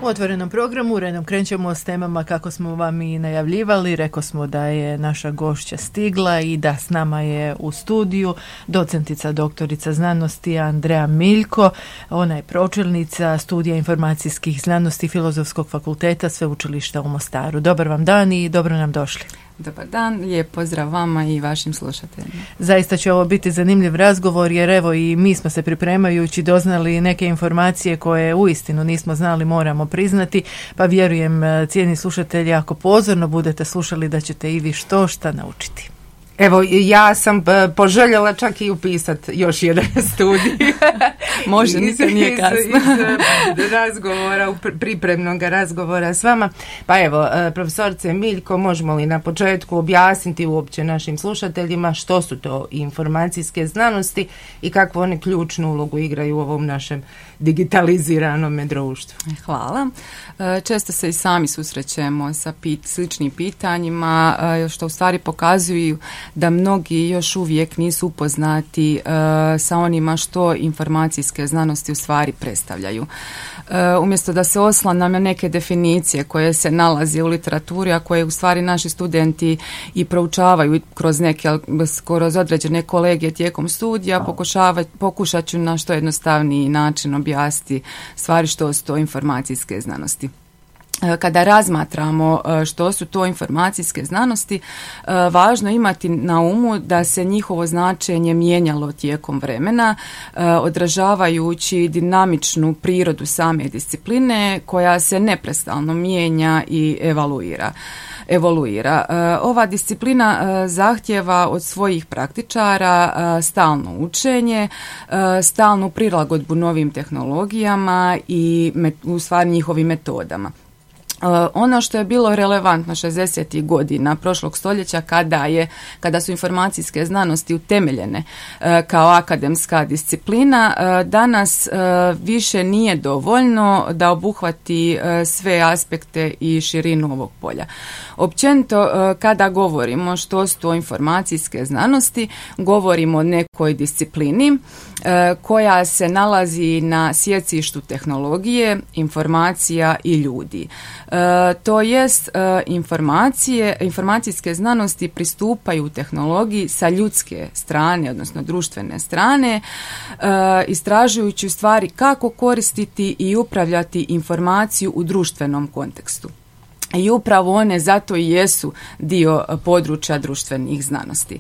U otvorenom programu redom krećemo s temama kako smo vam i najavljivali. Rekao smo da je naša gošća stigla i da s nama je u studiju docentica doktorica znanosti Andreja Miljko. Ona je pročelnica studija informacijskih znanosti Filozofskog fakulteta Sveučilišta u Mostaru. Dobar vam dan i dobro nam došli. Dobar dan, lijep pozdrav vama i vašim slušateljima. Zaista će ovo biti zanimljiv razgovor jer evo i mi smo se pripremajući doznali neke informacije koje uistinu nismo znali, moramo priznati, pa vjerujem cijeni slušatelji ako pozorno budete slušali da ćete i vi šta naučiti. Evo, ja sam poželjela čak i upisati još jedan studij. Može, nikad nije kasno. Iz razgovora, pripremnog razgovora s vama. Pa evo, profesorice Miljko, možemo li na početku objasniti uopće našim slušateljima što su to informacijske znanosti i kakvu one ključnu ulogu igraju u ovom našem digitaliziranom društvu? Hvala. Često se i sami susrećemo sa sličnim pitanjima, što u stvari pokazuju da mnogi još uvijek nisu upoznati sa onima što informacijske znanosti u stvari predstavljaju. Umjesto da se oslanjam na neke definicije koje se nalaze u literaturi, a koje u stvari naši studenti i proučavaju kroz određene kolegije tijekom studija, pokušat ću na što jednostavniji način objasniti stvari što su to informacijske znanosti. Kada razmatramo što su to informacijske znanosti, važno je imati na umu da se njihovo značenje mijenjalo tijekom vremena, odražavajući dinamičnu prirodu same discipline koja se neprestano mijenja i evoluira. Ova disciplina zahtijeva od svojih praktičara stalno učenje, stalnu prilagodbu novim tehnologijama i u stvari njihovim metodama. Ono što je bilo relevantno 60. godina prošlog stoljeća kada su informacijske znanosti utemeljene kao akademska disciplina, danas više nije dovoljno da obuhvati sve aspekte i širinu ovog polja. Općenito, kada govorimo što su to informacijske znanosti, govorimo o nekoj disciplini koja se nalazi na sjecištu tehnologije, informacija i ljudi. To jest informacijske znanosti pristupaju tehnologiji sa ljudske strane, odnosno društvene strane, istražujući u stvari kako koristiti i upravljati informaciju u društvenom kontekstu. I upravo one zato i jesu dio područja društvenih znanosti.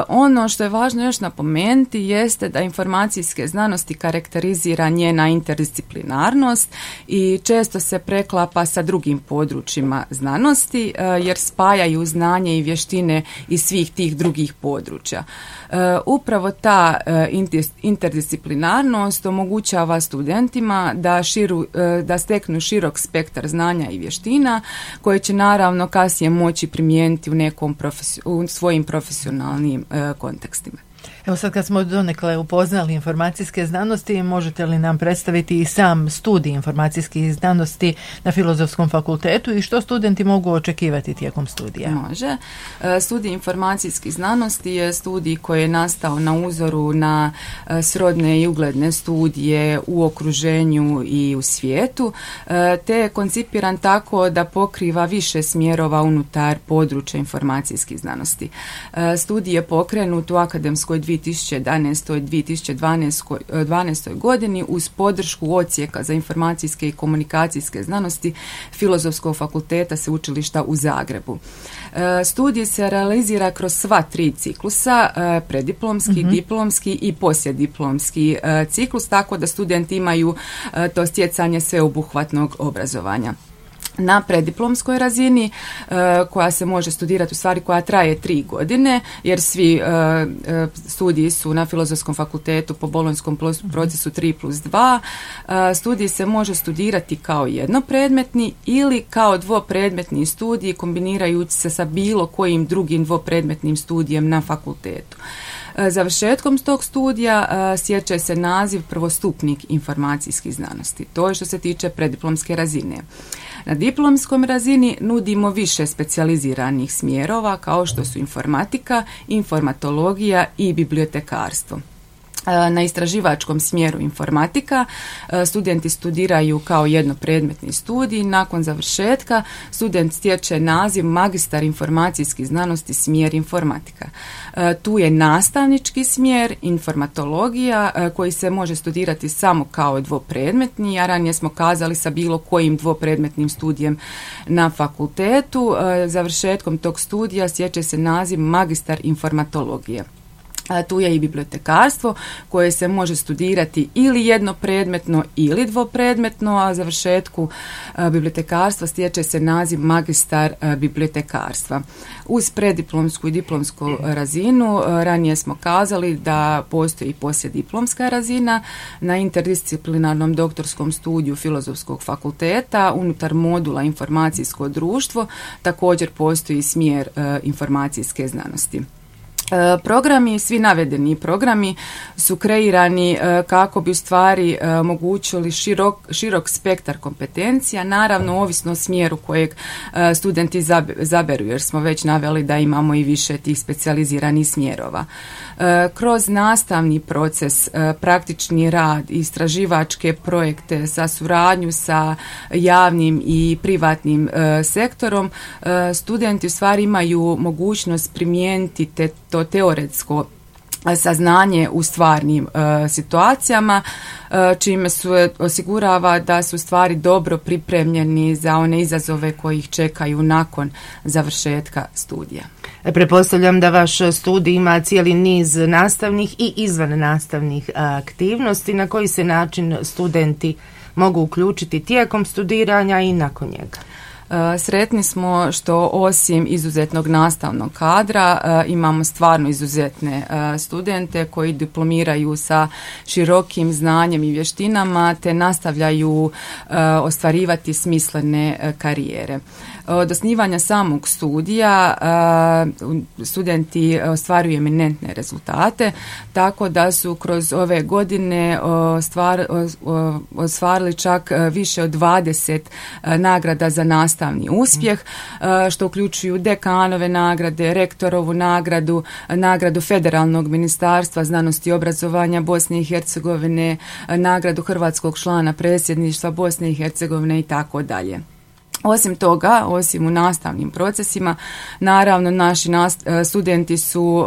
Ono što je važno još napomenuti jeste da informacijske znanosti karakterizira njena interdisciplinarnost i često se preklapa sa drugim područjima znanosti jer spajaju znanje i vještine iz svih tih drugih područja. Upravo ta interdisciplinarnost omogućava studentima da steknu širok spektar znanja i vještina koje će naravno kasnije moći primijeniti u svojim profesionalnim kontekstima. Evo sad kad smo donekle upoznali informacijske znanosti, možete li nam predstaviti i sam studij informacijskih znanosti na Filozofskom fakultetu i što studenti mogu očekivati tijekom studija? Može. Studij informacijskih znanosti je studij koji je nastao na uzoru na srodne i ugledne studije u okruženju i u svijetu, te je koncipiran tako da pokriva više smjerova unutar područja informacijskih znanosti. Studij je pokrenut u akademskoj 2011. i 2012. godini uz podršku Odsjeka za informacijske i komunikacijske znanosti Filozofskog fakulteta Sveučilišta u Zagrebu. Studij se realizira kroz sva 3 ciklusa, preddiplomski, diplomski i poslijediplomski ciklus, tako da studenti imaju to stjecanje sveobuhvatnog obrazovanja. Na preddiplomskoj razini koja se može studirati, u stvari koja traje 3 godine, jer svi studiji su na Filozofskom fakultetu po bolonjskom procesu 3+2. Studij se može studirati kao jednopredmetni ili kao dvopredmetni studij kombinirajući se sa bilo kojim drugim dvopredmetnim studijem na fakultetu. Završetkom tog studija stječe se naziv prvostupnik informacijskih znanosti. To je što se tiče preddiplomske razine. Na diplomskom razini nudimo više specijaliziranih smjerova kao što su informatika, informatologija i bibliotekarstvo. Na istraživačkom smjeru informatika studenti studiraju kao jednopredmetni studij. Nakon završetka student stječe naziv magistar informacijskih znanosti smjer informatika. Tu je nastavnički smjer informatologija koji se može studirati samo kao dvopredmetni, a ranije smo kazali sa bilo kojim dvopredmetnim studijem na fakultetu. Završetkom tog studija stječe se naziv magistar informatologije. Tu je i bibliotekarstvo koje se može studirati ili jednopredmetno ili dvopredmetno, a završetku bibliotekarstva stječe se naziv magistar bibliotekarstva. Uz preddiplomsku i diplomsku razinu ranije smo kazali da postoji i poslijediplomska razina na interdisciplinarnom doktorskom studiju Filozofskog fakulteta unutar modula informacijsko društvo također postoji smjer informacijske znanosti. Programi, svi navedeni programi su kreirani kako bi u stvari omogućili širok spektar kompetencija, naravno ovisno o smjeru kojeg studenti zaberu, jer smo već naveli da imamo i više tih specijaliziranih smjerova. Kroz nastavni proces, praktični rad, istraživačke projekte sa suradnju sa javnim i privatnim sektorom, studenti u stvari imaju mogućnost primijeniti to teoretsko saznanje u stvarnim situacijama, čime se osigurava da su stvari dobro pripremljeni za one izazove koji ih čekaju nakon završetka studija. Pretpostavljam da vaš studij ima cijeli niz nastavnih i izvan nastavnih aktivnosti. Na koji se način studenti mogu uključiti tijekom studiranja i nakon njega? Sretni smo što osim izuzetnog nastavnog kadra imamo stvarno izuzetne studente koji diplomiraju sa širokim znanjem i vještinama te nastavljaju ostvarivati smislene karijere. Od osnivanja samog studija studenti ostvaruju eminentne rezultate, tako da su kroz ove godine ostvarili čak više od 20 nagrada za nastavni uspjeh, što uključuju dekanove nagrade, rektorovu nagradu, nagradu Federalnog ministarstva znanosti i obrazovanja Bosne i Hercegovine, nagradu hrvatskog člana predsjedništva Bosne i Hercegovine i tako dalje. Osim toga, osim u nastavnim procesima, naravno naši studenti su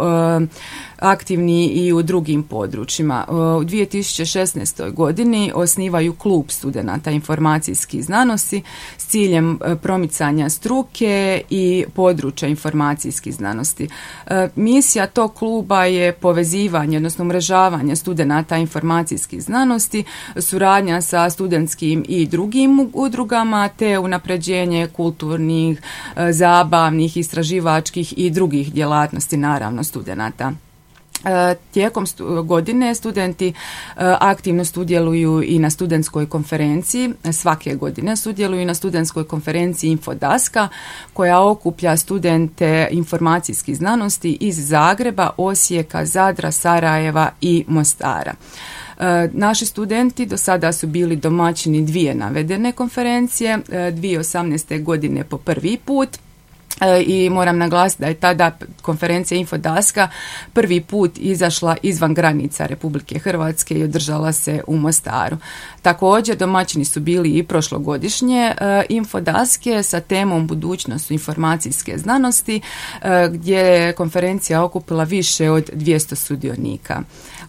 aktivni i u drugim područjima. U 2016. godini osnivaju klub studenata informacijskih znanosti s ciljem promicanja struke i područja informacijskih znanosti. Misija tog kluba je povezivanje, odnosno umrežavanje studenata informacijskih znanosti, suradnja sa studentskim i drugim udrugama, te unapređenje kulturnih, zabavnih, istraživačkih i drugih djelatnosti, naravno, studenata. Tijekom godine studenti aktivno sudjeluju i na studentskoj konferenciji, svake godine sudjeluju na studentskoj konferenciji Infodaska koja okuplja studente informacijskih znanosti iz Zagreba, Osijeka, Zadra, Sarajeva i Mostara. Naši studenti do sada su bili domaćini dvije navedene konferencije, 2018. godine po prvi put. I moram naglasiti da je tada konferencija Infodaska prvi put izašla izvan granica Republike Hrvatske i održala se u Mostaru. Također domaćini su bili i prošlogodišnje Infodaske sa temom budućnost informacijske znanosti gdje je konferencija okupila više od 200 sudionika.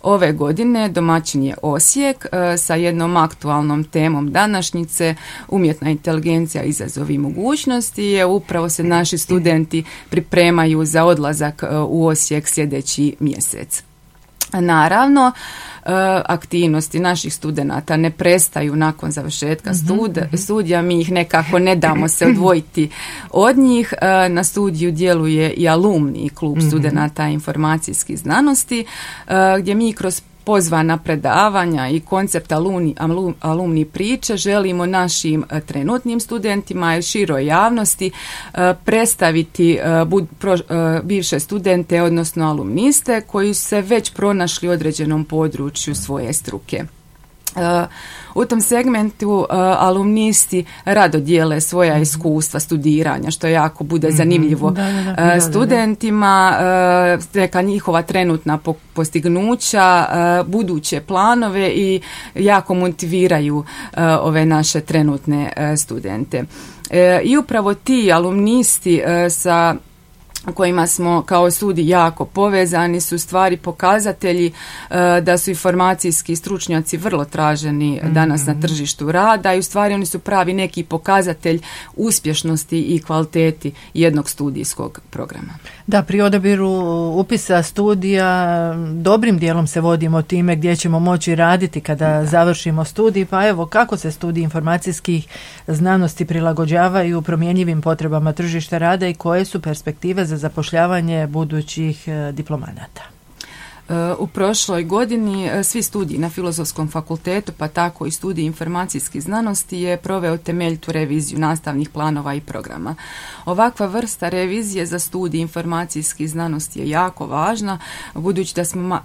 Ove godine domaćin je Osijek sa jednom aktualnom temom današnjice, umjetna inteligencija, izazovi i mogućnosti, je upravo se naši studenti pripremaju za odlazak u Osijek sljedeći mjesec. Naravno, aktivnosti naših studenata ne prestaju nakon završetka studija, mi ih nekako ne damo se odvojiti od njih. Na studiju djeluje i alumni klub studenata informacijskih znanosti, gdje mi kroz pozvana predavanja i koncept alumni priče želimo našim trenutnim studentima i široj javnosti predstaviti bivše studente, odnosno alumniste koji su se već pronašli u određenom području svoje struke. U tom segmentu alumnisti rado dijele svoja iskustva studiranja, što jako bude zanimljivo studentima, neka njihova trenutna postignuća, buduće planove i jako motiviraju ove naše trenutne studente. I upravo ti alumnisti sa kojima smo kao studij jako povezani su stvari pokazatelji da su informacijski stručnjaci vrlo traženi danas na tržištu rada i u stvari oni su pravi neki pokazatelj uspješnosti i kvaliteti jednog studijskog programa. Da, pri odabiru upisa studija dobrim dijelom se vodimo time gdje ćemo moći raditi kada završimo studij, pa evo kako se studiji informacijskih znanosti prilagođavaju promjenjivim potrebama tržišta rada i koje su perspektive za zapošljavanje budućih diplomanata. U prošloj godini svi studiji na Filozofskom fakultetu, pa tako i studij informacijskih znanosti je proveo temeljitu reviziju nastavnih planova i programa. Ovakva vrsta revizije za studij informacijskih znanosti je jako važna, budući da smo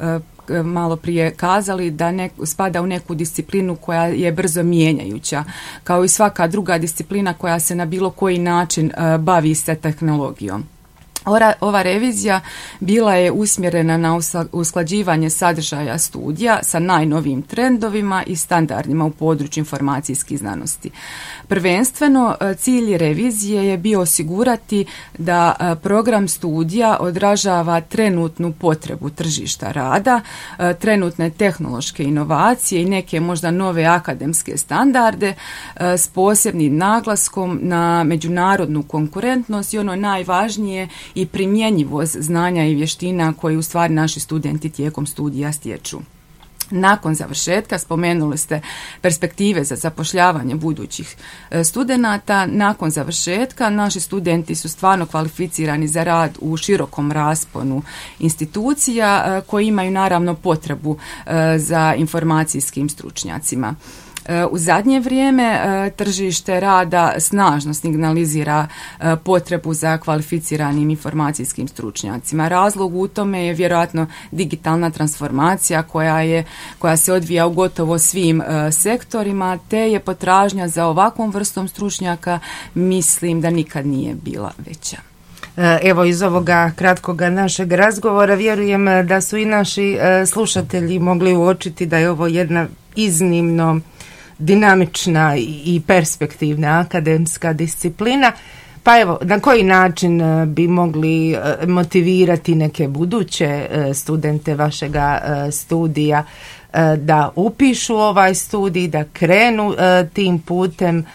malo prije kazali da spada u neku disciplinu koja je brzo mijenjajuća, kao i svaka druga disciplina koja se na bilo koji način bavi se tehnologijom. Ova revizija bila je usmjerena na usklađivanje sadržaja studija sa najnovijim trendovima i standardima u području informacijskih znanosti. Prvenstveno, cilj revizije je bio osigurati da program studija odražava trenutnu potrebu tržišta rada, trenutne tehnološke inovacije i neke možda nove akademske standarde s posebnim naglaskom na međunarodnu konkurentnost i ono najvažnije i primjenjivost znanja i vještina koje u stvari naši studenti tijekom studija stječu. Nakon završetka, spomenuli ste perspektive za zapošljavanje budućih studenata, nakon završetka naši studenti su stvarno kvalificirani za rad u širokom rasponu institucija koji imaju naravno potrebu za informacijskim stručnjacima. U zadnje vrijeme tržište rada snažno signalizira potrebu za kvalificiranim informacijskim stručnjacima. Razlog u tome je vjerojatno digitalna transformacija koja se odvija u gotovo svim sektorima, te je potražnja za ovakvom vrstom stručnjaka mislim da nikad nije bila veća. Evo, iz ovoga kratkoga našeg razgovora vjerujem da su i naši slušatelji mogli uočiti da je ovo jedna iznimno dinamična i perspektivna akademska disciplina. Pa evo, na koji način bi mogli motivirati neke buduće studente vašega studija da upišu ovaj studij, da krenu tim putem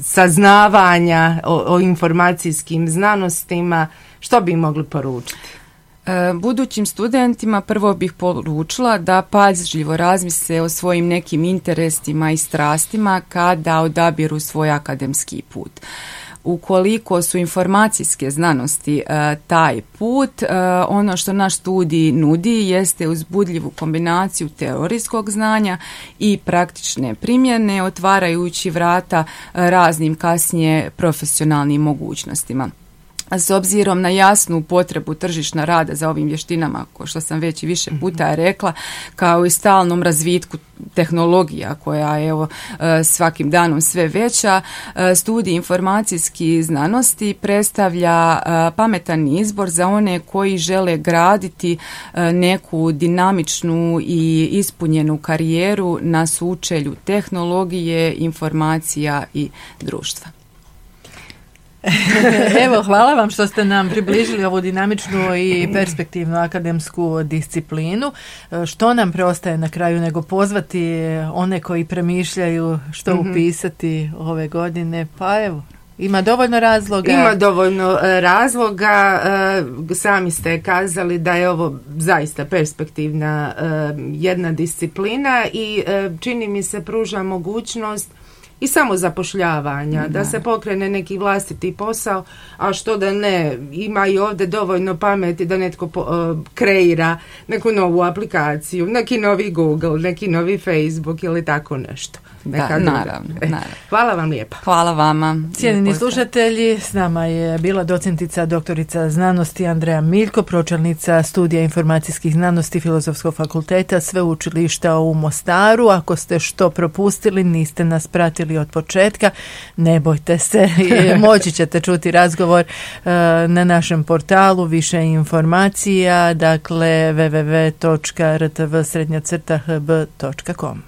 saznavanja o informacijskim znanostima? Što bi mogli poručiti? Budućim studentima prvo bih poručila da pažljivo razmisle o svojim nekim interesima i strastima kada odabiru svoj akademski put. Ukoliko su informacijske znanosti taj put, ono što naš studij nudi jeste uzbudljivu kombinaciju teorijskog znanja i praktične primjene, otvarajući vrata raznim kasnije profesionalnim mogućnostima. S obzirom na jasnu potrebu tržišta rada za ovim vještinama, kao što sam već i više puta rekla, kao i stalnom razvitku tehnologija koja je svakim danom sve veća, studij informacijskih znanosti predstavlja pametan izbor za one koji žele graditi neku dinamičnu i ispunjenu karijeru na sučelju tehnologije, informacija i društva. Evo, hvala vam što ste nam približili ovu dinamičnu i perspektivnu akademsku disciplinu. Što nam preostaje na kraju nego pozvati one koji premišljaju što upisati ove godine? Pa evo, ima dovoljno razloga. Ima dovoljno razloga. Sami ste kazali da je ovo zaista perspektivna jedna disciplina i čini mi se pruža mogućnost i samo zapošljavanja, da se pokrene neki vlastiti posao, a što da ne, ima i ovdje dovoljno pameti da netko kreira neku novu aplikaciju, neki novi Google, neki novi Facebook ili tako nešto. Naravno. Hvala vam lijepa. Hvala vama. Cijenjeni slušatelji, s nama je bila docentica doktorica znanosti Andreja Miljko, pročelnica studija informacijskih znanosti Filozofskog fakulteta Sveučilišta u Mostaru. Ako ste što propustili, niste nas pratili od početka, ne bojte se, moći ćete čuti razgovor na našem portalu, više informacija, dakle www.rtv_hb.com.